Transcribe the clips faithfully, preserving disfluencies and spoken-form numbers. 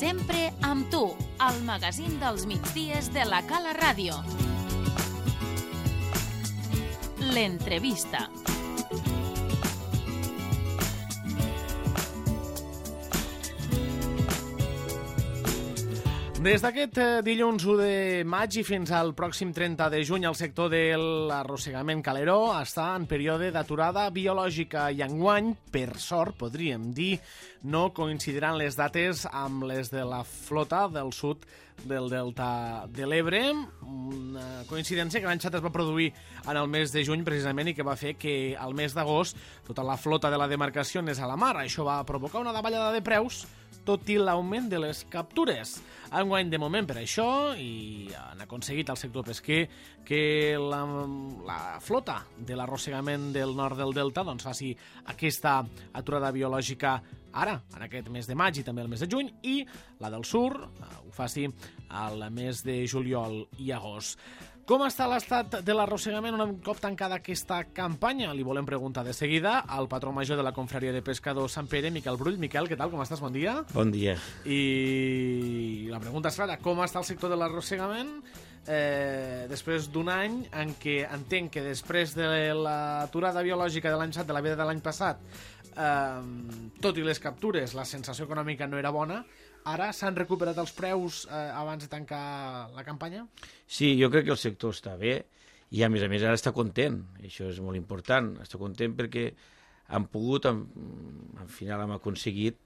Sempre amb tu, al magazín dels migdies de la Cala Ràdio. L'entrevista. Des d'aquest dilluns u de maig i fins al pròxim trenta de juny, el sector de l'arrossegament caleró està en període d'aturada biològica i enguany, per sort, podríem dir, no coincidiran les dates amb les de la flota del sud del Delta de l'Ebre, una coincidència que l'any passat es va produir en el mes de juny precisament i que va fer que al mes d'agost tota la flota de la demarcació anés a la mar. Això va provocar una davallada de preus, tot i l'augment de les captures. Enguany, de moment, per això, i han aconseguit el sector pesquer que la, la flota de l'arrossegament del nord del Delta doncs, faci aquesta aturada biològica ara, en aquest mes de maig i també el mes de juny, i la del sur eh, ho faci al mes de juliol i agost. Com està l'estat de l'arrossegament un cop tancada aquesta campanya? Li volem preguntar de seguida al patró major de la Confraria de Pescadors Sant Pere, Miquel Brull. Miquel, què tal? Com estàs? Bon dia. Bon dia. I la pregunta és clara. Com està el sector de l'arrossegament eh, després d'un any en què entenc que després de l'aturada biològica de l'any passat, de la veda de l'any passat, eh, tot i les captures, la sensació econòmica no era bona. Ara s'han recuperat els preus eh, abans de tancar la campanya? Sí, jo crec que el sector està bé i, a més a més, ara està content. Això és molt important. Està content perquè han pogut, al final hem aconseguit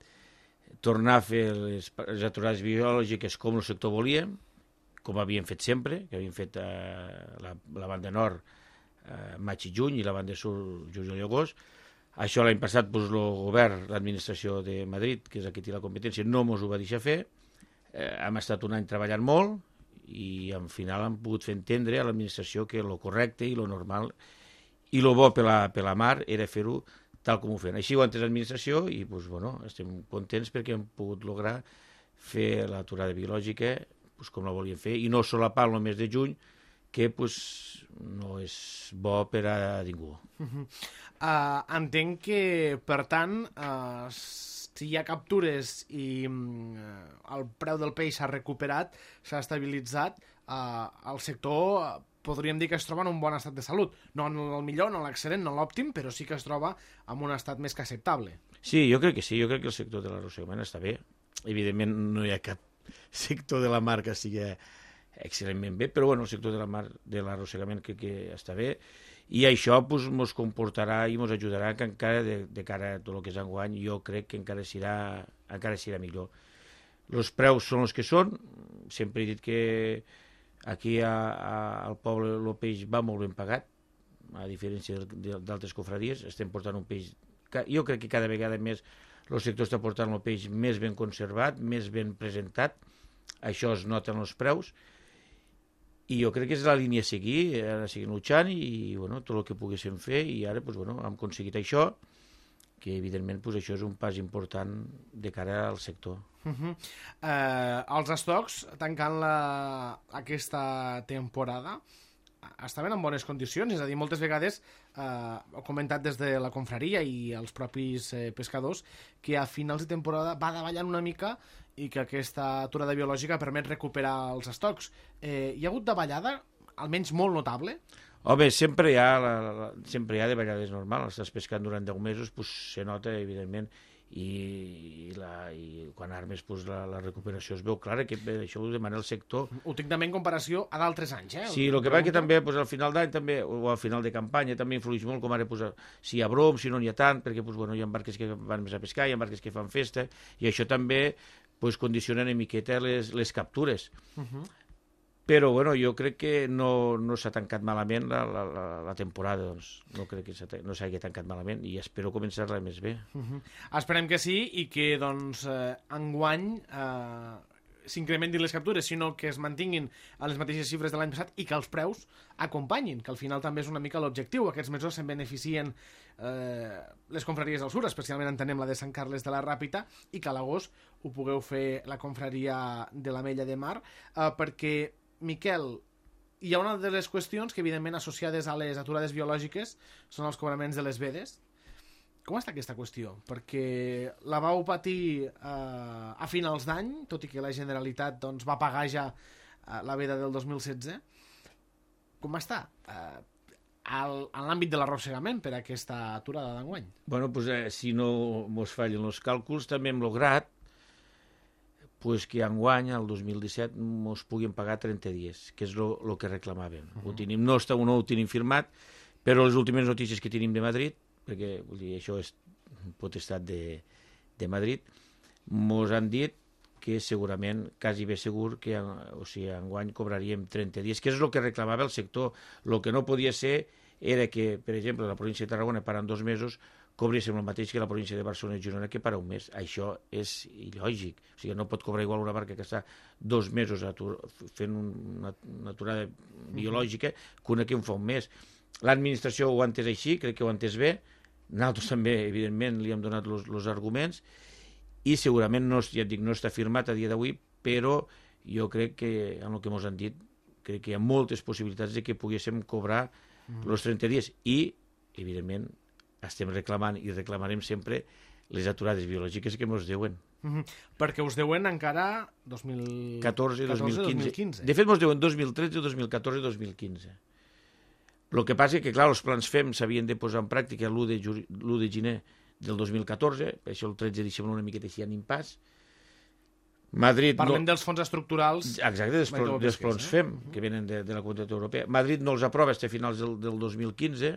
tornar a fer les, les aturades biològiques com el sector volia, com havíem fet sempre, que havíem fet eh, la, la banda nord eh, maig i juny i la banda sud juliol i agost. Això l'any passat doncs, el govern, l'administració de Madrid, que és aquí té la competència, no ens ho va deixar fer. Eh, hem estat un any treballant molt i al final hem pogut fer entendre a l'administració que el correcte i el normal i el bo per la, per la mar era fer-ho tal com ho feien. Així ho ha entès l'administració i doncs, bueno, estem contents perquè hem pogut lograr fer l'aturada biològica doncs, com la volíem fer i no solapar el mes de juny, que pues, no és bo per a ningú. Uh-huh. Uh, entenc que, per tant, uh, si hi ha captures i uh, el preu del peix s'ha recuperat, s'ha estabilitzat, uh, el sector uh, podríem dir que es troba en un bon estat de salut. No en el millor, no en l'excel·lent, no en l'òptim, però sí que es troba en un estat més que acceptable. Sí, jo crec que sí, jo crec que el sector de l'arrossegament està bé. Evidentment no hi ha cap sector de la mar que sigui excel·lentment bé, però bueno, el sector de la mar de l'arrossegament crec que està bé i això ens pues, comportarà i ens ajudarà que encara de, de cara a tot el que és enguany jo crec que encara serà, encara serà millor. Els preus són els que són, sempre he dit que aquí a, a, al poble el peix va molt ben pagat, a diferència d'altres confraries, estem portant un peix, jo crec que cada vegada més el sector està portant el peix més ben conservat, més ben presentat, això es nota en els preus, i jo crec que és la línia a seguir, ara seguim luchant i bueno, tot el que poguéssim fer i ara pues, bueno, hem aconseguit això, que evidentment pues, això és un pas important de cara al sector. Uh-huh. eh, els estocs, tancant la, aquesta temporada, estaven en bones condicions, és a dir, moltes vegades eh, he comentat des de la confraria i els propis eh, pescadors que a finals de temporada va davallant una mica i que aquesta aturada biològica permet recuperar els estocs. Eh, hi ha hagut davallada, almenys molt notable? Home, sempre hi ha, la, la, sempre hi ha davallades normals. Estàs pescant durant deu mesos, pues, se nota, evidentment, i, i, la, i quan armes pues, la, la recuperació es veu clara, que això ho demana el sector. Ho tinc també en comparació a d'altres anys, eh? Sí, el que va que també pues, al final d'any també, o al final de campanya també influeix molt, com ara pues, si hi ha brom, si no n'hi ha tant, perquè pues, bueno, hi ha barques que van més a pescar, hi ha barques que fan festa, i això també pues, condiciona una miqueta les, les captures. Uh-huh. Però bueno, jo crec que no, no s'ha tancat malament la, la, la, la temporada, doncs. No crec que no s'hagi tancat malament i espero començar-la més bé. Uh-huh. Esperem que sí i que doncs, eh, enguany eh, s'incrementin les captures, sinó que es mantinguin a les mateixes xifres de l'any passat i que els preus acompanyin, que al final també és una mica l'objectiu. Aquests mesos se'n beneficien eh, les confraries del sur, especialment entenem la de Sant Carles de la Ràpita, i que a l'agost ho pugueu fer la confraria de l'Ametlla de Mar, eh, perquè Miquel, hi ha una de les qüestions que evidentment associades a les aturades biològiques són els cobraments de les vedes. com està aquesta qüestió? Perquè la vau patir eh, a finals d'any, tot i que la Generalitat doncs, va pagar ja eh, la veda del dos mil setze. Com està eh, al, en l'àmbit de l'arrossegament per a aquesta aturada d'enguany? Bueno, pues, eh, si no mos fallen els càlculs, també hem lograt pues, que enguany, el dos mil disset, mos puguin pagar trenta dies, que és el que reclamaven. Uh -huh. Ho tenim, no, està, no ho tenim firmat, però les últimes notícies que tenim de Madrid, perquè vull dir, això és potestat de, de Madrid, mos han dit que segurament, quasi bé segur, que o sigui, enguany cobraríem trenta dies, que és el que reclamava el sector. El que no podia ser era que, per exemple, la província de Tarragona parant dos mesos, cobréssim el mateix que la província de Barcelona i Girona que para un mes. Això és il·lògic. O sigui, no pot cobrar igual una barca que està dos mesos atur, fent una, una aturada biològica que una que en fa un mes. L'administració ho ha entès així, crec que ho ha entès bé. Nosaltres també, evidentment, li hem donat els arguments i segurament no, ja et dic, no està firmat a dia d'avui, però jo crec que, en el que ens han dit, crec que hi ha moltes possibilitats de que poguéssim cobrar els mm. trenta dies i, evidentment, estem reclamant i reclamarem sempre les aturades biològiques que ens deuen. Mm-hmm. Perquè us deuen encara dos mil catorze i dos mil quinze. De fet, ens deuen dos mil tretze, dos mil catorze i dos mil quinze. El que passa és que, clar, els plans F E M s'havien de posar en pràctica l'u de gener del dos mil catorze, per això el tretze deixem una miqueta així en impàs. Madrid Parlem no... dels fons estructurals... Exacte, dels, plans, dels plans F E M, eh? que venen de, de la Comunitat Europea. Madrid no els aprova fins a finals del, del dos mil quinze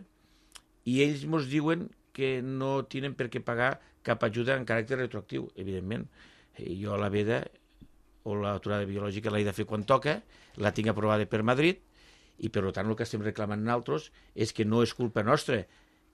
i ells ens diuen que no tenen per què pagar cap ajuda en caràcter retroactiu, evidentment. Jo la veda o l'aturada biològica l'he de fer quan toca, la tinc aprovada per Madrid, i per tant el que estem reclamant nosaltres és que no és culpa nostra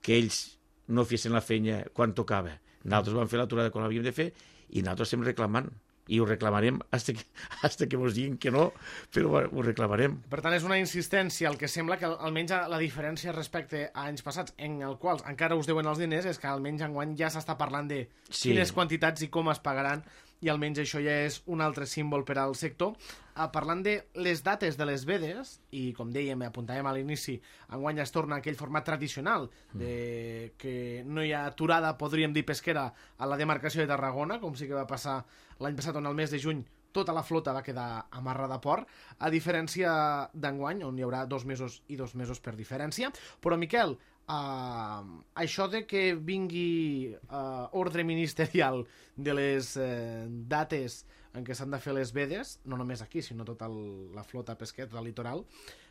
que ells no fessin la feina quan tocava. Nosaltres vam fer l'aturada quan l'havíem de fer i nosaltres estem reclamant. I ho reclamarem fins que, fins que ens diguin que no, però ho reclamarem. Per tant, és una insistència. El que sembla que almenys la diferència respecte a anys passats, en els quals encara us deuen els diners, és que almenys enguany ja s'està parlant de sí. quines quantitats i com es pagaran, i almenys això ja és un altre símbol per al sector. Uh, parlant de les dates de les vedes, i com dèiem, apuntàvem a l'inici, enguany es torna a aquell format tradicional de que no hi ha aturada, podríem dir, pesquera a la demarcació de Tarragona, com sí que va passar l'any passat, on al mes de juny tota la flota va quedar amarrada a port, a diferència d'enguany, on hi haurà dos mesos i dos mesos per diferència. Però, Miquel, Uh, això de que vingui uh, ordre ministerial de les uh, dates en què s'han de fer les vedes, no només aquí, sinó tota el, la flota pesquera, tota el litoral,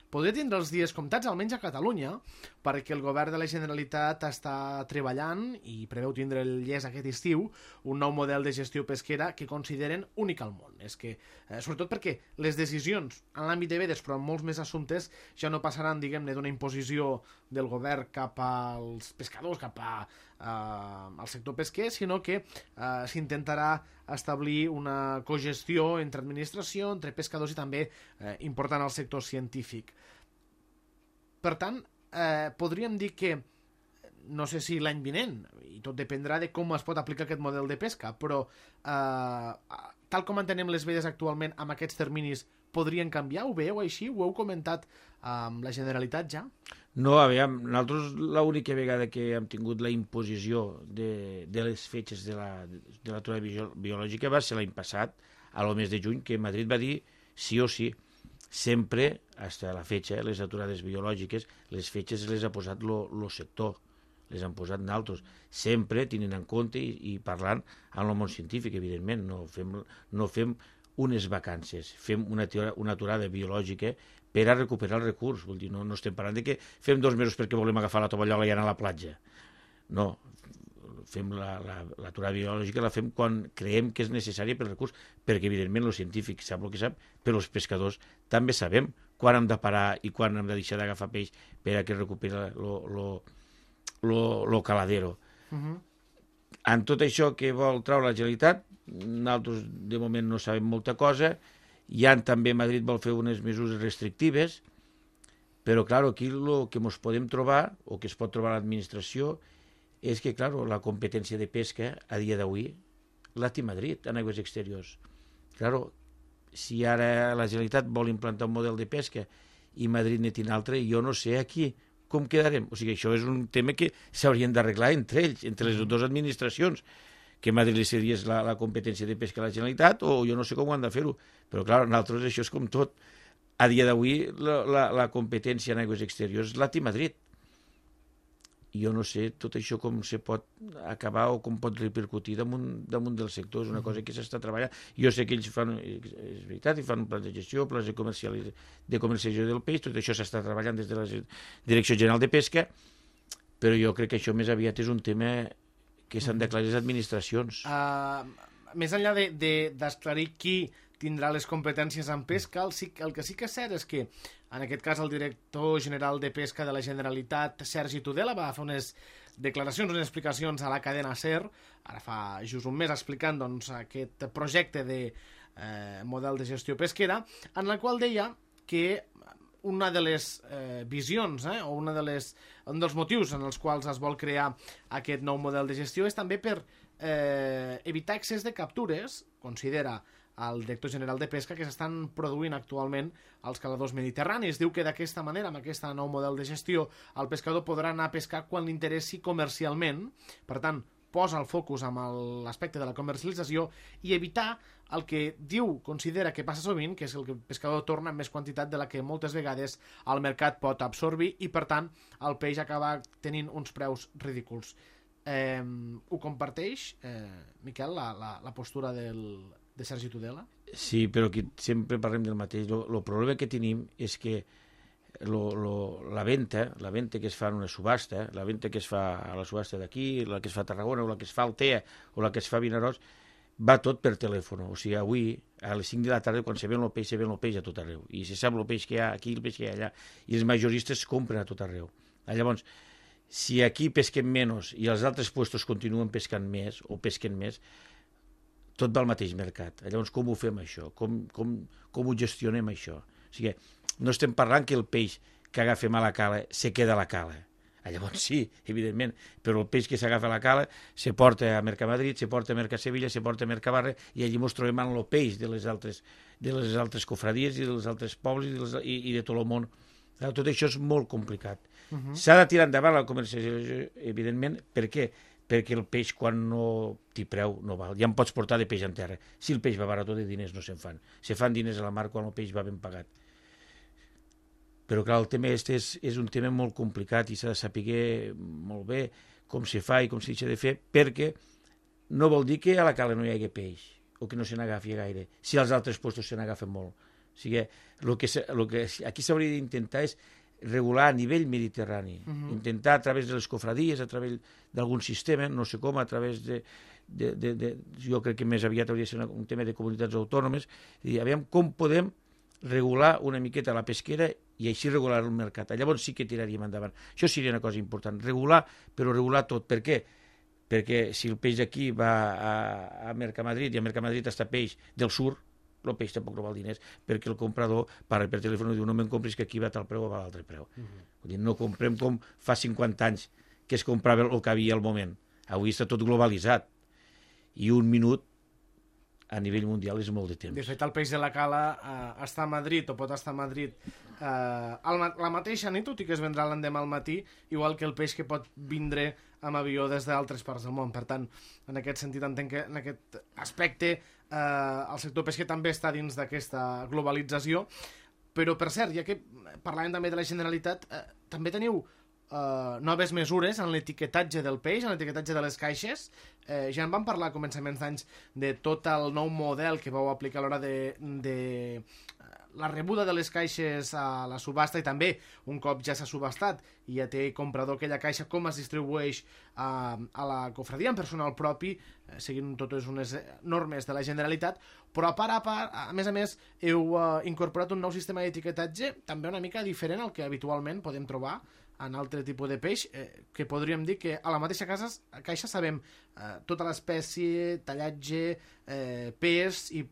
podria tindre els dies comptats, almenys a Catalunya, perquè el govern de la Generalitat està treballant i preveu tindre el llest aquest estiu un nou model de gestió pesquera que consideren únic al món. És que, eh, sobretot perquè les decisions en l'àmbit de vedes, però en molts més assumptes, ja no passaran, diguem-ne, d'una imposició del govern cap als pescadors, cap a, eh, al sector pesquer, sinó que eh, s'intentarà establir una cogestió entre administració, entre pescadors i també eh, important al sector científic. Per tant, eh, podríem dir que, no sé si l'any vinent, i tot dependrà de com es pot aplicar aquest model de pesca, però eh, tal com entenem les vedes actualment amb aquests terminis, podrien canviar? Ho veieu així? Ho heu comentat amb la Generalitat ja? No, a veure, nosaltres l'única vegada que hem tingut la imposició de, de les fetges de la, de l'aturada bio, biològica va ser l'any passat, al mes de juny, que Madrid va dir sí o sí. Sempre, fins a la fetge, les aturades biològiques, les fetges les ha posat el sector, les han posat nosaltres, sempre tenint en compte i, i parlant amb el món científic, evidentment, no fem, no fem unes vacances, fem una, una aturada biològica per a recuperar el recurs. Vull dir, no, no estem parlant de que fem dos mesos perquè volem agafar la tovallola i anar a la platja. No, fem l'aturada biològica, la fem quan creiem que és necessària pel recurs, perquè evidentment el científic sap el que sap, però els pescadors també sabem quan hem de parar i quan hem de deixar d'agafar peix per a que recuperi el caladero. Uh-huh. En tot això que vol treure la Generalitat, nosaltres de moment no sabem molta cosa. Ja també Madrid vol fer unes mesures restrictives, però clar, aquí el que ens podem trobar, o que es pot trobar a l'administració, és que, clar, la competència de pesca a dia d'avui la té Madrid en aigües exteriors. Clar, si ara la Generalitat vol implantar un model de pesca i Madrid ne té un altre, jo no sé aquí com quedarem? O sigui, això és un tema que s'haurien d'arreglar entre ells, entre les dues administracions, que Madrid li cediés la, la competència de pesca a la Generalitat, o jo no sé com ho han de fer-ho. Però, clar, nosaltres això és com tot. A dia d'avui, la, la, la competència en aigües exteriors la té Madrid. Jo no sé tot això com se pot acabar o com pot repercutir damunt, damunt del sector. És una cosa que s'està treballant. Jo sé que ells fan, és veritat, fan plans de gestió, plans de, de comercialització del peix, tot això s'està treballant des de la Direcció General de Pesca, però jo crec que això més aviat és un tema que s'han d'aclarir les administracions. Uh, més enllà d'esclarir de, de, qui tindrà les competències en pesca, el, el que sí que és cert és que, en aquest cas, el director general de Pesca de la Generalitat, Sergi Tudela, va fer unes declaracions, unes explicacions a la cadena SER, ara fa just un mes, explicant doncs, aquest projecte de eh, model de gestió pesquera, en la qual deia que una de les eh, visions, eh, o una de les, un dels motius en els quals es vol crear aquest nou model de gestió és també per eh, evitar excés de captures, considera el director general de Pesca, que s'estan produint actualment als caladors mediterranis. Diu que d'aquesta manera, amb aquest nou model de gestió, el pescador podrà anar a pescar quan li interessi comercialment, per tant, posa el focus amb l'aspecte de la comercialització i evitar el que diu, considera que passa sovint, que és el que el pescador torna amb més quantitat de la que moltes vegades el mercat pot absorbir i, per tant, el peix acaba tenint uns preus ridículs. Eh, ho comparteix, eh, Miquel, la, la, la postura del, de Sergi Tudela? Sí, però aquí sempre parlem del mateix. El problema que tenim és que lo, lo, la venda, la venda que es fa en una subhasta, la venda que es fa a la subhasta d'aquí, la que es fa a Tarragona, o la que es fa al T E A, o la que es fa a Vinaròs, va tot per telèfon. O sigui, avui, a les cinc de la tarda, quan se ven el peix, se ven el peix a tot arreu. I se sap el peix que hi ha aquí, el peix que hi ha allà. I els majoristes compren a tot arreu. Llavors, si aquí pesquem menys i els altres puestos continuen pescant més o pesquen més, tot va al mateix mercat. Llavors, com ho fem això? Com, com, com ho gestionem això? O sigui, no estem parlant que el peix que agafem a la cala se queda a la cala. Llavors sí, evidentment, però el peix que s'agafa a la cala se porta a Mercamadrid, se porta a Mercasevilla, se porta a Mercabarra i allí ens trobem amb el peix de les altres, de les altres cofradies i dels altres pobles i, dels, i, i de tot el món. Tot això és molt complicat. Uh-huh. S'ha de tirar endavant la comercialització, evidentment. Per què? Perquè el peix, quan no té preu, no val. Ja en pots portar de peix en terra. Si el peix va barat, de diners no se'n fan. Se fan diners a la mar quan el peix va ben pagat. Però, clar, el tema este és, és un tema molt complicat i s'ha de saber molt bé com se fa i com se deixa de fer, perquè no vol dir que a la cala no hi hagi peix o que no se n'agafi gaire, si als altres puestos se n'agafen molt. O sigui, el que, el que aquí s'hauria d'intentar és regular a nivell mediterrani, uh-huh. intentar a través de les cofradies, a través d'algun sistema, no sé com, a través de, de, de, de... Jo crec que més aviat hauria de ser un tema de comunitats autònomes, i aviam com podem regular una miqueta la pesquera i així regular el mercat. Llavors sí que tiraríem endavant. Això seria una cosa important, regular, però regular tot. Per què? Perquè si el peix d'aquí va a, a Mercamadrid i a Mercamadrid està peix del sur, el peix tampoc no val diners, perquè el comprador parla per telèfon i diu no me'n compris que aquí va tal preu o va l'altre preu. Uh-huh. Vull dir, no comprem com fa cinquanta anys que es comprava el que havia al moment. Avui està tot globalitzat. I un minut a nivell mundial és molt de temps. De fet, el peix de la cala eh, està a Madrid, o pot estar a Madrid eh, al, la mateixa nit, tot i que es vendrà l'endemà al matí, igual que el peix que pot vindre amb avió des d'altres parts del món. Per tant, en aquest sentit, entenc que en aquest aspecte eh, el sector pesquer també està dins d'aquesta globalització. Però, per cert, ja que parlàvem també de la Generalitat, eh, també teniu Uh, noves mesures en l'etiquetatge del peix, en l'etiquetatge de les caixes. Eh, ja en vam parlar a començaments d'anys de tot el nou model que vau aplicar a l'hora de, de la rebuda de les caixes a la subhasta, i també un cop ja s'ha subhastat i ja té comprador aquella caixa, com es distribueix a, a la cofradia en personal propi, eh, seguint totes unes normes de la Generalitat. Però a part a part, a més a més, heu uh, incorporat un nou sistema d'etiquetatge també una mica diferent al que habitualment podem trobar en altre tipus de peix, eh, que podríem dir que a la mateixa casa, caixa sabem eh, tota l'espècie, tallatge, eh, pes i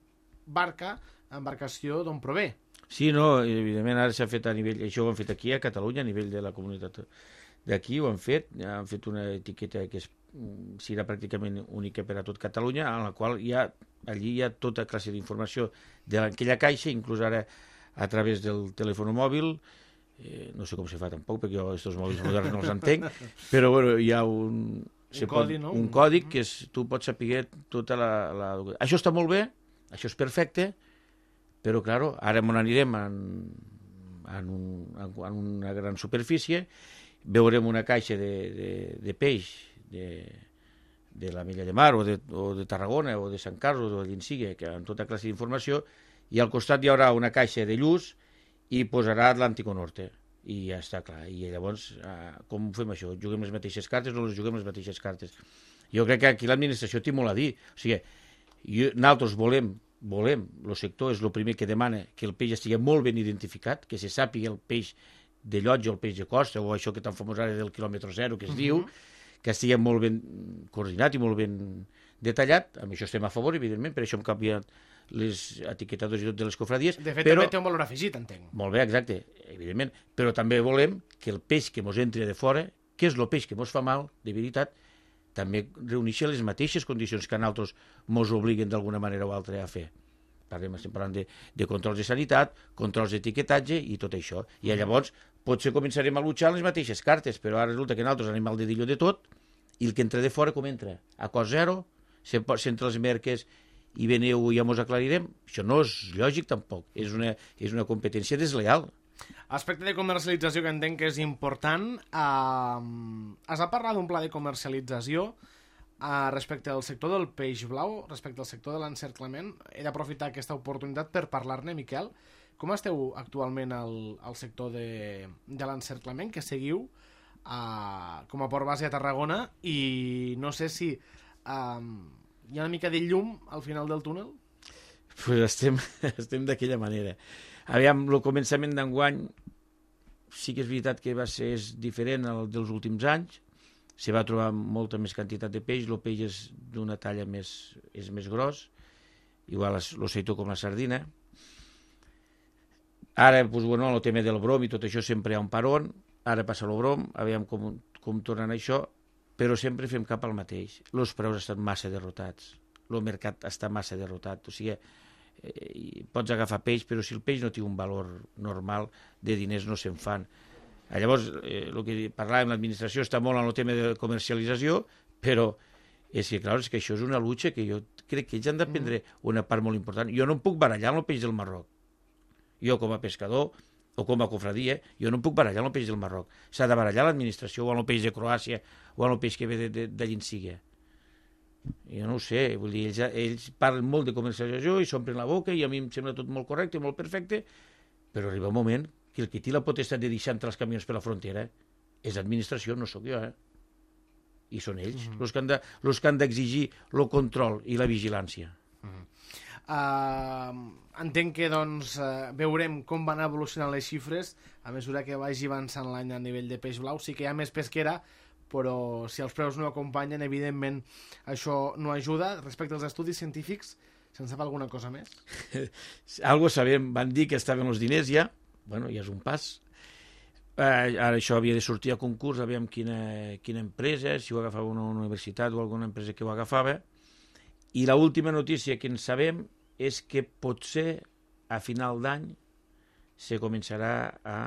barca, embarcació d'on prové. Sí, no, evidentment ara s'ha fet a nivell, això ho han fet aquí a Catalunya, a nivell de la comunitat d'aquí, ho han fet, han fet una etiqueta que és, serà pràcticament única per a tot Catalunya, en la qual hi ha, allí hi ha tota classe d'informació d'aquella caixa, inclús ara a través del telèfon mòbil, eh, no sé com se fa tampoc, perquè jo aquests mòbils moderns no els entenc, però bueno, hi ha un... Un codi, pot, no? Un còdic que és, tu pots saber tota la, la... Això està molt bé, això és perfecte, però, clar, ara on anirem en, en, un, en una gran superfície, veurem una caixa de, de, de peix de, de la Milla de Mar o de, o de Tarragona o de Sant Carlos o de l'Insigue, que amb tota classe d'informació, i al costat hi haurà una caixa de lluz i posarà Atlántico Norte. I ja està clar. I llavors, eh, com fem això? Juguem les mateixes cartes o no les juguem les mateixes cartes? Jo crec que aquí l'administració té molt a dir. O sigui, jo, nosaltres volem, volem, el sector és el primer que demana que el peix estigui molt ben identificat, que se sàpiga el peix de llotja o el peix de costa, o això que tan famós ara del quilòmetre zero, que es uh -huh. diu, que estigui molt ben coordinat i molt ben detallat. Amb això estem a favor, evidentment, per això hem canviat les etiquetadors i tot de les cofradies. De fet, però... també té un valor afegit, entenc. Molt bé, exacte, evidentment. Però també volem que el peix que mos entri de fora, que és el peix que mos fa mal, de veritat, també reuneixi les mateixes condicions que a nosaltres mos obliguen d'alguna manera o altra a fer. Parlem, estem parlant de, de controls de sanitat, controls d'etiquetatge i tot això. I llavors potser començarem a luchar les mateixes cartes, però ara resulta que nosaltres anem al dedillo de tot i el que entra de fora com entra? A cost zero, s'entra les merques i veneu i ja mos aclarirem. Això no és lògic tampoc, és una, és una competència desleal. Aspecte de comercialització que entenc que és important. Uh, has de parlar d'un pla de comercialització uh, respecte al sector del peix blau, respecte al sector de l'encerclament. He d'aprofitar aquesta oportunitat per parlar-ne, Miquel. Com esteu actualment al, al sector de, de l'encerclament, que seguiu uh, com a port base a Tarragona, i no sé si... Uh, hi ha una mica de llum al final del túnel? Pues estem, estem d'aquella manera. Aviam, el començament d'enguany sí que és veritat que va ser és diferent al dels últims anys. Se va trobar molta més quantitat de peix, el peix és d'una talla més, és més gros, igual el seitó com la sardina. Ara, pues, bueno, el tema del brom i tot això sempre hi ha un paron, ara passa el brom, aviam com, com tornen això, però sempre fem cap al mateix. Els preus estan massa derrotats, el mercat està massa derrotat, o sigui, eh, pots agafar peix, però si el peix no té un valor normal de diners no se'n fan. Llavors, eh, el que parlàvem, l'administració està molt en el tema de comercialització, però és que, clar, és que això és una lucha que jo crec que ells han de prendre una part molt important. Jo no em puc barallar amb el peix del Marroc. Jo, com a pescador, o com a cofradia, jo no em puc barallar amb el peix del Marroc. S'ha de barallar l'administració o amb el peix de Croàcia o amb el peix que ve de, de, de l'Insigue. Jo no ho sé, vull dir, ells, ells parlen molt de comercialització i s'omplen la boca i a mi em sembla tot molt correcte, molt perfecte, però arriba un moment que el que té la potestat de deixar entrar els camions per la frontera és l'administració, no sóc jo, eh? I són ells, els mm -hmm. que han d'exigir el control i la vigilància. Mm -hmm. Uh, entenc que doncs uh, veurem com van evolucionant les xifres a mesura que vagi avançant l'any a nivell de peix blau. Sí que hi ha més pesquera, però si els preus no acompanyen, evidentment això no ajuda. Respecte als estudis científics, se'n sap alguna cosa més? Algo sabem, van dir que estaven els diners ja, bueno, ja és un pas. Uh, ara això havia de sortir a concurs, aviam quina, quina empresa, si ho agafava una universitat o alguna empresa que ho agafava. I l'última notícia que en sabem és que potser a final d'any se començarà a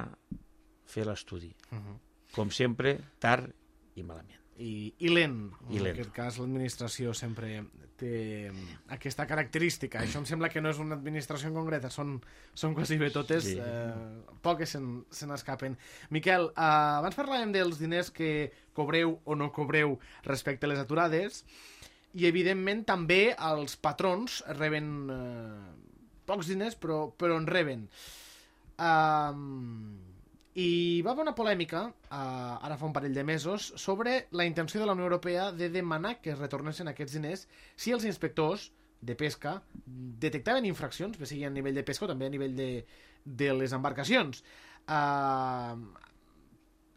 fer l'estudi. Uh -huh. Com sempre, tard i malament. I, i lent. I en lent. aquest cas, l'administració sempre té aquesta característica. Això em sembla que no és una administració en concreta, són, són quasi bé totes, sí. eh, poques se n'escapen. Miquel, eh, abans parlàvem dels diners que cobreu o no cobreu respecte a les aturades, i evidentment també els patrons reben eh, pocs diners, però, però en reben. Um, I va haver una polèmica, uh, ara fa un parell de mesos, sobre la intenció de la Unió Europea de demanar que es retornessin aquests diners si els inspectors de pesca detectaven infraccions, bé sigui a nivell de pesca o també a nivell de, de les embarcacions. Uh,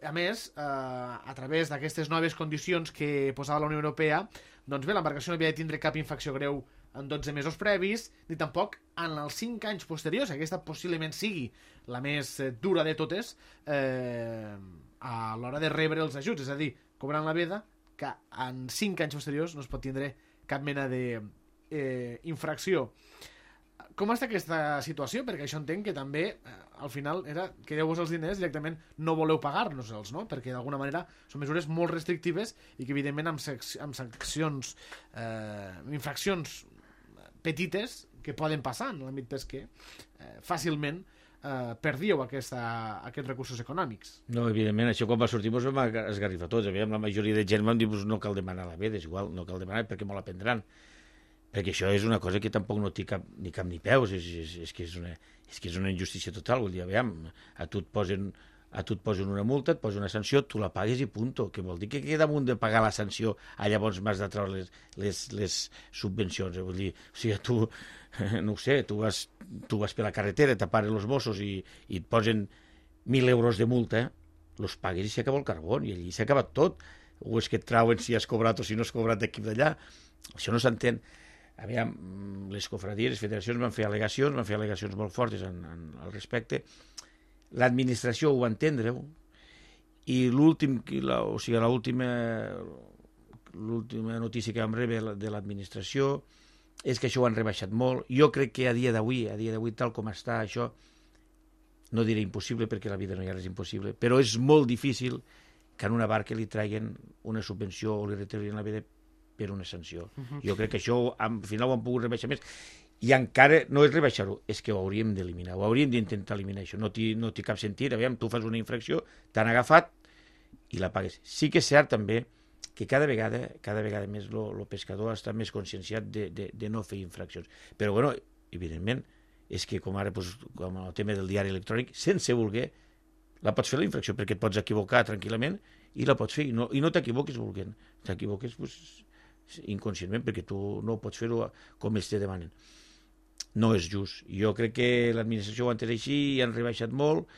a més, uh, a través d'aquestes noves condicions que posava la Unió Europea, doncs bé, l'embarcació no havia de tindre cap infracció greu en dotze mesos previs, ni tampoc en els cinc anys posteriors, aquesta possiblement sigui la més eh, dura de totes eh, a l'hora de rebre els ajuts, és a dir, cobrant la veda, que en cinc anys posteriors no es pot tindre cap mena de eh, infracció. com està aquesta situació? Perquè això entenc que també, eh, al final, era que deu-vos els diners directament no voleu pagar-nos-els, no? Perquè d'alguna manera són mesures molt restrictives i que, evidentment, amb, sec amb sancions, eh, infraccions petites que poden passar en l'àmbit pesquer, eh, fàcilment eh, perdíeu aquesta, aquests recursos econòmics. No, evidentment, això quan va sortir ens vam esgarrifar tots. Aviam, la majoria de gent vam dir no cal demanar la veda, és igual, no cal demanar perquè me la prendran. Perquè això és una cosa que tampoc no té cap, ni cap ni peus, és, és, és, que és, una, és que és una injustícia total. Vull dir, aviam, a tu et posen, a tu et posen una multa, et posen una sanció, tu la pagues i punto. Que vol dir que, que damunt de pagar la sanció, a llavors m'has de treure les, les, les subvencions. Vull dir, o sigui, tu, no ho sé, tu vas, tu vas per la carretera, t'aparen els Mossos i, i et posen mil euros de multa, els pagues i s'acaba el carbó, i allí s'ha acabat tot. O és que et trauen si has cobrat o si no has cobrat d'aquí d'allà. Això no s'entén. Aviam, les cofradies, les federacions van fer al·legacions, van fer al·legacions molt fortes en, en, al respecte. L'administració ho va entendre, i l'últim, o sigui, l'última l'última notícia que vam rebre de l'administració és que això ho han rebaixat molt. Jo crec que a dia d'avui, a dia d'avui, tal com està això, no diré impossible perquè la vida no hi ha res impossible, però és molt difícil que en una barca li traguin una subvenció o li retirin la veda per una sanció. Uh-huh. Jo crec que això al final ho han pogut rebaixar més, i encara no és rebaixar-ho, és que ho hauríem d'eliminar, ho hauríem d'intentar eliminar això, no té no cap sentit. Aviam, tu fas una infracció, t'han agafat i la pagues. Sí que és cert també que cada vegada, cada vegada més el pescador està més conscienciat de, de, de no fer infraccions. Però, bueno, evidentment, és que com ara, doncs, com el tema del diari electrònic, sense voler, la pots fer la infracció, perquè et pots equivocar tranquil·lament i la pots fer, i no, i no t'equivoquis volent, t'equivoques, doncs, inconscientment, perquè tu no pots fer-ho com ells te demanen. No és just. Jo crec que l'administració ho ha entès així i han rebaixat molt,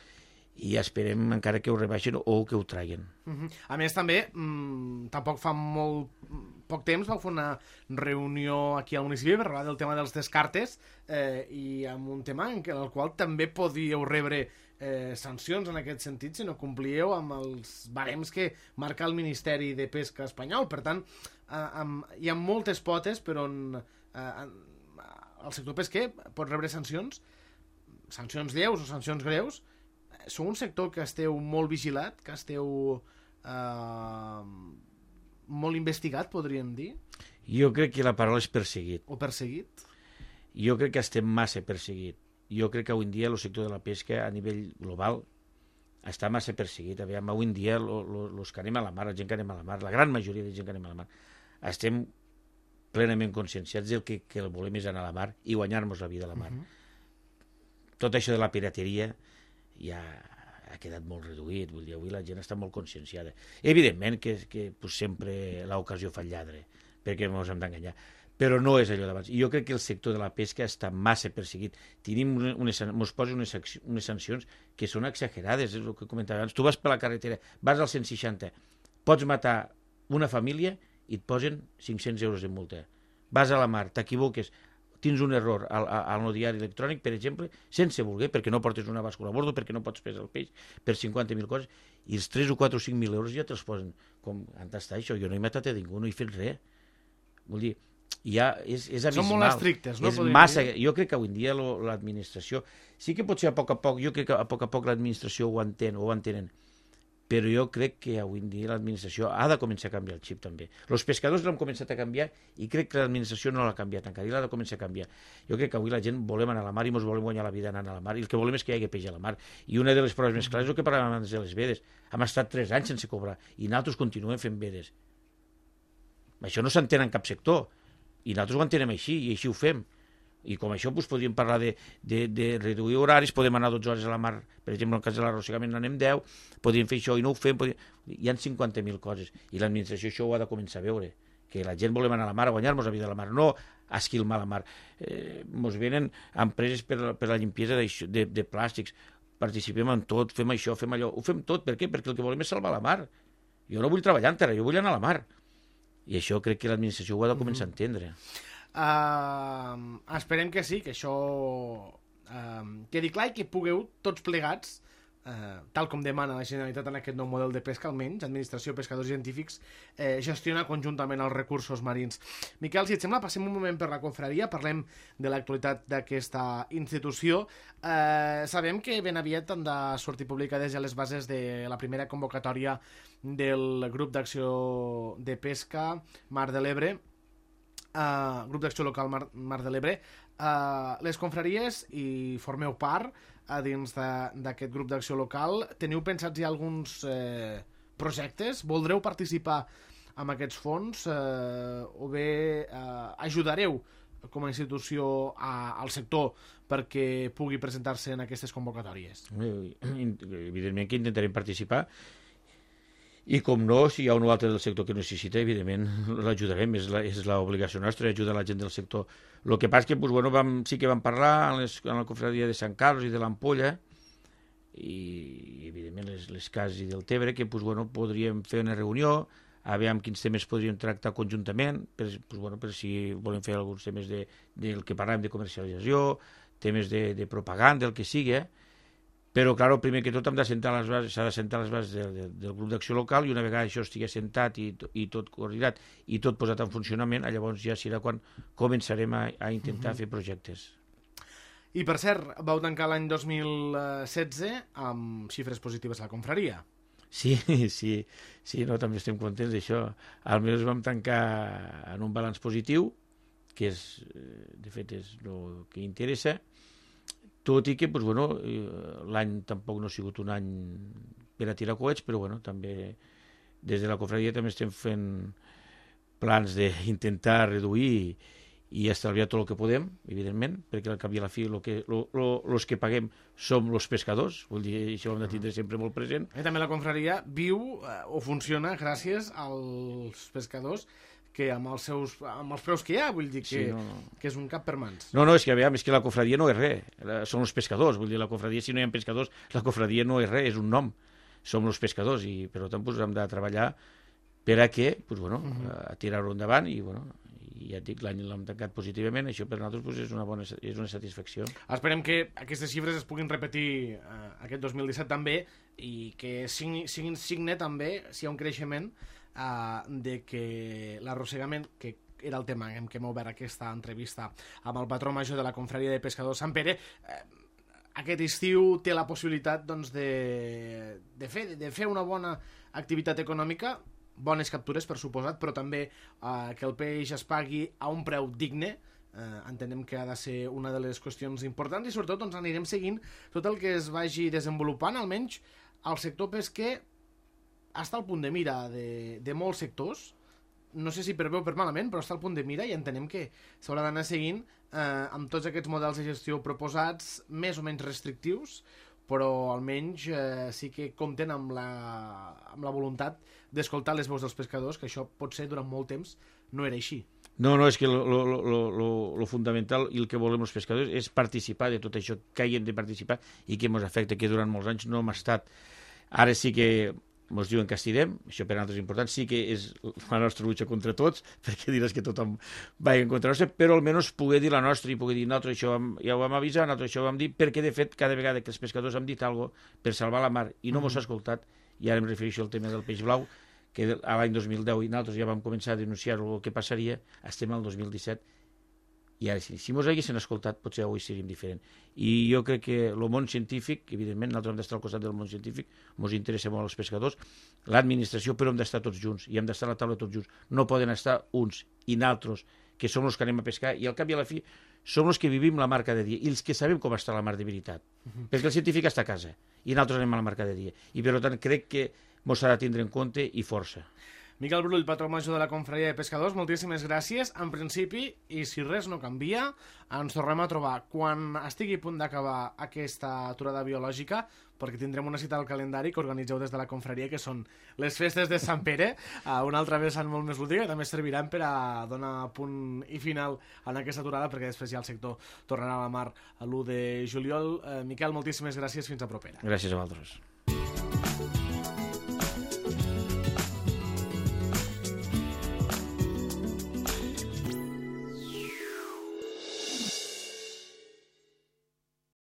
i esperem encara que ho rebaixen o que ho traguin. Uh-huh. A més, també, mmm, tampoc fa molt poc temps vau fer una reunió aquí al municipi per parlar del tema dels descartes, eh, i amb un tema en, en el qual també podíeu rebre eh, sancions en aquest sentit si no complíeu amb els barems que marca el Ministeri de Pesca espanyol. Per tant, eh, amb, hi ha moltes potes per on eh, el sector pesquer pot rebre sancions, sancions lleus o sancions greus. Sou un sector que esteu molt vigilat, que esteu eh, molt investigat, podríem dir? Jo crec que la paraula és perseguit. O perseguit? Jo crec que estem massa perseguit. Jo crec que avui en dia el sector de la pesca a nivell global està massa perseguit. Aviam, avui en dia els que anem a la mar, la gent que anem a la mar, la gran majoria de gent que anem a la mar, estem plenament conscienciats del que, que el volem és anar a la mar i guanyar-nos la vida a la mar. Uh-huh. Tot això de la pirateria ja ha quedat molt reduït, vull dir, avui la gent està molt conscienciada. Evidentment que, que pues, sempre l'ocasió fa el lladre, perquè no ens hem d'enganyar, però no és allò d'abans. I jo crec que el sector de la pesca està massa perseguit. Tenim unes, ens posen unes, unes sancions que són exagerades, és el que comentava abans. Tu vas per la carretera, vas al cent seixanta, pots matar una família i et posen cinc-cents euros de multa. Vas a la mar, t'equivoques, tens un error al, al no diari electrònic, per exemple, sense voler, perquè no portes una bàscula a bordo, perquè no pots pesar el peix, per cinquanta mil coses, i els tres o quatre o cinc mil euros ja te'ls posen. Com, on està això? Jo no he matat a ningú, no he fet res. Vull dir, ja és, és abismal. Són molt estrictes, no? És massa, jo crec que avui en dia l'administració, sí que potser a poc a poc, jo crec que a poc a poc l'administració ho entén, o ho entenen, però jo crec que avui en dia l'administració ha de començar a canviar el xip també. Els pescadors l'han començat a canviar i crec que l'administració no l'ha canviat encara, i l'ha de començar a canviar. Jo crec que avui la gent volem anar a la mar i ens volem guanyar la vida anant a la mar, i el que volem és que hi hagi peix a la mar. I una de les proves més clares és el que parlàvem abans de les vedes. Hem estat tres anys sense cobrar i nosaltres continuem fent vedes. Això no s'entén en cap sector i nosaltres ho entenem així i així ho fem. I com això doncs, podríem parlar de, de, de reduir horaris, podem anar dotze hores a la mar, per exemple, en el cas de l'arrossegament n'anem deu, podríem fer això i no ho fem, podríem... hi ha cinquanta mil coses, i l'administració això ho ha de començar a veure, que la gent volem anar a la mar, a guanyar-nos la vida a la mar, no a esquilmar la mar. Eh, ens venen empreses per, per la limpiesa de, de, de plàstics, participem en tot, fem això, fem allò, ho fem tot, per què? Perquè el que volem és salvar la mar. Jo no vull treballar en terra, jo vull anar a la mar. I això crec que l'administració ho ha de començar a entendre. Uh, esperem que sí, que això uh, quedi clar i que pugueu tots plegats eh, tal com demana la Generalitat en aquest nou model de pesca, almenys, administració, pescadors i científics, eh, gestiona conjuntament els recursos marins. Miquel, si et sembla, passem un moment per la confraria, parlem de l'actualitat d'aquesta institució. Eh, sabem que ben aviat han de sortir publicades ja les bases de la primera convocatòria del grup d'acció de pesca Mar de l'Ebre, Uh, grup d'acció local Mar, Mar de l'Ebre. Uh, les confraries, i formeu part uh, dins d'aquest grup d'acció local, teniu pensats ja alguns eh, projectes? Voldreu participar en aquests fons uh, o bé uh, ajudareu com a institució a, al sector perquè pugui presentar-se en aquestes convocatòries? Evidentment que intentarem participar, i com no, si hi ha un o altre del sector que necessita, evidentment l'ajudarem, és l'obligació nostra ajudar la gent del sector. El que passa és que doncs, bueno, vam, sí que vam parlar en, les, en la confraria de Sant Carlos i de l'Ampolla, i evidentment les, les cases i del Tebre, que doncs, bueno, podríem fer una reunió, a veure quins temes podríem tractar conjuntament, per, doncs, bueno, per si volem fer alguns temes de, del que parlem de comercialització, temes de, de propaganda, el que sigui, eh? Però, clar, primer que tot hem de sentar les bases, s'ha de sentar les bases del, del, del grup d'acció local, i una vegada això estigui sentat i, i tot coordinat i tot posat en funcionament, llavors ja serà quan començarem a, a intentar uh-huh. fer projectes. I, per cert, vau tancar l'any dos mil setze amb xifres positives a la confraria. Sí, sí, sí, no, també estem contents d'això. Almenys vam tancar en un balanç positiu, que és, de fet, és el que interessa, tot i que doncs, bueno, l'any tampoc no ha sigut un any per a tirar coets, però bueno, també des de la confraria també estem fent plans d'intentar reduir i estalviar tot el que podem, evidentment, perquè al cap i a la fi els que, lo, lo, los que paguem som els pescadors, vull dir, això ho hem de tindre sempre molt present. I també la confraria viu eh, o funciona gràcies als pescadors, que amb els, seus, amb els preus que hi ha, vull dir que, sí, no, no. que és un cap per mans. No, no, és que, aviam, és que la confraria no és res, són els pescadors, vull dir, la confraria, si no hi ha pescadors, la confraria no és res, és un nom, som els pescadors, i per tant pues, hem de treballar per a què, pues, bueno, uh-huh. a tirar-ho endavant, i bueno, i ja et dic, l'any l'hem tancat positivament, això per nosaltres pues, és, una bona, és una satisfacció. Esperem que aquestes xifres es puguin repetir eh, aquest dos mil disset també, i que siguin, siguin signe també, si hi ha un creixement, Uh, de que l'arrossegament, que era el tema en què hem obert aquesta entrevista amb el patró major de la confraria de pescadors Sant Pere, eh, aquest estiu té la possibilitat doncs, de, de, fer, de fer una bona activitat econòmica, bones captures per suposat, però també eh, que el peix es pagui a un preu digne. Eh, entenem que ha de ser una de les qüestions importants, i sobretot doncs, anirem seguint tot el que es vagi desenvolupant, almenys al sector pesquer està al punt de mira de, de molts sectors, no sé si per bé o per malament, però està al punt de mira, i entenem que s'haurà d'anar seguint eh, amb tots aquests models de gestió proposats, més o menys restrictius, però almenys eh, sí que compten amb la, amb la voluntat d'escoltar les veus dels pescadors, que això pot ser durant molt temps no era així. No, no, és que el fundamental i el que volem els pescadors és participar de tot això que hi hem de participar i que ens afecta, que durant molts anys no hem estat. Ara sí que ens diuen que estirem, això per a nosaltres és important, sí que és la nostra lucha contra tots, perquè diràs que tothom va en contra nostra, però almenys poder dir la nostra i poder dir nosaltres això vam, ja ho vam avisar, nosaltres això ho vam dir, perquè de fet cada vegada que els pescadors han dit alguna cosa per salvar la mar i no mos ha escoltat, i ara em refereixo al tema del peix blau, que a l'any dos mil deu i nosaltres ja vam començar a denunciar el que passaria, estem al dos mil disset, i ara sí, si mos haguessin escoltat potser avui seríem diferent. I jo crec que el món científic, evidentment nosaltres hem d'estar al costat del món científic, mos interessa molt els pescadors, l'administració, però hem d'estar tots junts i hem d'estar a la taula tots junts, no poden estar uns i naltros que som els que anem a pescar, i al cap i a la fi som els que vivim la mar cada dia i els que sabem com està la mar de veritat, uh-huh. perquè el científic està a casa i nosaltres anem a la mar cada dia, i per tant crec que mos s'ha de tindre en compte i força. Miquel Brull, patró major de la confraria de pescadors, moltíssimes gràcies. En principi, i si res no canvia, ens tornem a trobar quan estigui a punt d'acabar aquesta aturada biològica, perquè tindrem una cita al calendari que organitzeu des de la confraria, que són les festes de Sant Pere, una altra vessant molt més lúdica, que també serviran per a donar punt i final en aquesta aturada, perquè després ja el sector tornarà a la mar l'u de juliol. Eh, Miquel, moltíssimes gràcies, fins a propera. Gràcies a vosaltres.